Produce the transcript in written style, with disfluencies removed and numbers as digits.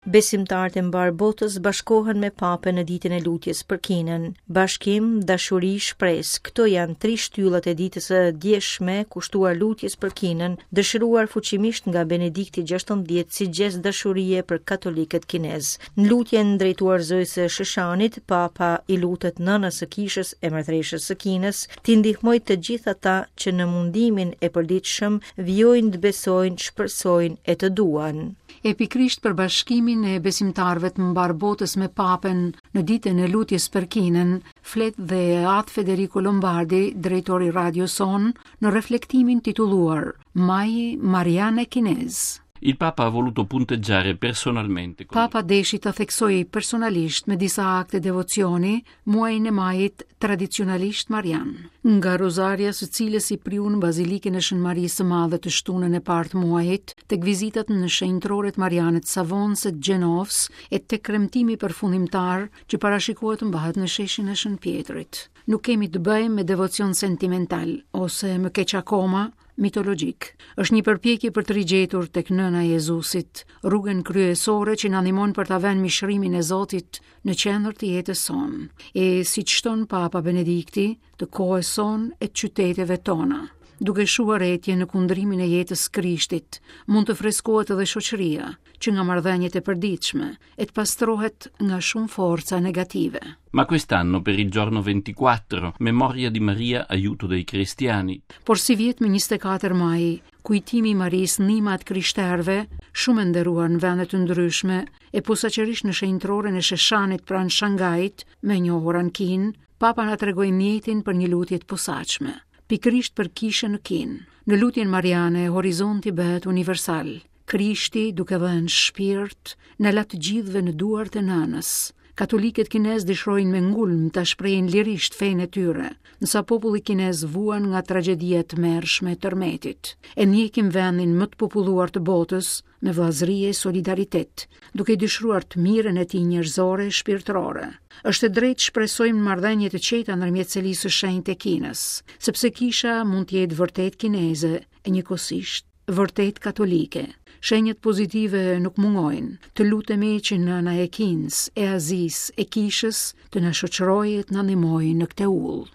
Besimtarët e mbarë botës bashkohen me Papën në ditën e lutjes për Kinën. Bashkim, dashuri, shpresë, këto janë tri shtyllat e ditës së djeshme kushtuar lutjes për Kinën, dëshiruar fuqimisht nga Benedikti XVI si gjest dashurie për katolikët kinezë. Në lutjen drejtuar Zojës së Sheshanit, Papa i lutet nënës së kishës e mbretëreshës së Kinës, t'i ndihmojë të gjithë ata që në mundimin e përditshëm vijojnë të besojnë, shpresojnë e të duan. E pikërisht për bashkimin e besimtarëve të mbarë botës me Papën në ditën e lutjes për Kinën, flet dhe At Federico Lombardi, drejtor i radios sonë, në reflektimin titulluar Maji Marian e Kinez. Il Papa ha voluto punteggiare personalmente. Papa deshi ta theksojë personalisht me disa akte devocioni muajin e majit tradicionalisht marian, nga rozarja së cilës i priu në Bazilikën e Shën Marisë së Madhe të shtunën e parë të muajit, tek vizitat në shenjtroret mariane të Savonës e të Gjenovës e tek kremtimi përfundimtar që parashikohet të mbahet në sheshin e Shën Pjetrit. Nuk kemi të bëjmë me devocion sentimental ose më keq akoma, mitologjik. Është një përpjekje për të rigjetur tek nëna e Jezusit, rrugën kryesore që na ndihmon për ta vënë mishërimin e Zotit në qendër të jetës sonë, e siç shton Papa Benedikti, të kohës sonë e të qyteteve tona. Duke shuar etjen në kundrimin e jetës së Krishtit, mund të freskohet edhe shoqëria, që nga marrëdhëniet e përditshme, e të pastrohet nga shumë forca negative. Ma quest'anno per il giorno 24, memoria di Maria, aiuto dei cristiani. Por sivjet më 24 maj, kujtimi i Marisë ndihma e të krishterëve, shumë e nderuar në vende të ndryshme, e posaçërisht në shenjtroren e Sheshanit pranë Shangait, më e njohura në Kinë, Papa na tregoi mjetin për një lutje të posaçme, pikërisht për kishën në Kinë. Në lutjen mariane, horizonti bëhet universal. Krishti, duke dhënë shpirt, na la të gjithëve në duart e nënës. Katolikët kinezë dëshirojnë me ngulm ta shprehin lirisht fenë e tyre, ndërsa populli kinez vuan nga tragjedia e tmerrshme e tërmetit. E ndjekim vendin më të populluar të botës me vëllazëri e solidaritet, duke i dëshiruar të mirën e tij njerëzore e shpirtërore. Është e drejtë të shpresojmë në marrëdhënie të qeta ndërmjet Selisë së Shenjtë e Kinës, sepse kisha mund të jetë vërtet kineze e njëkohësisht vërtet katolike. Shenjat pozitive nuk mungojnë. Të lutemi që nëna e Kinës, e Azisë, e Kishës të na shoqërojë e të na ndihmojë në këtë udhë.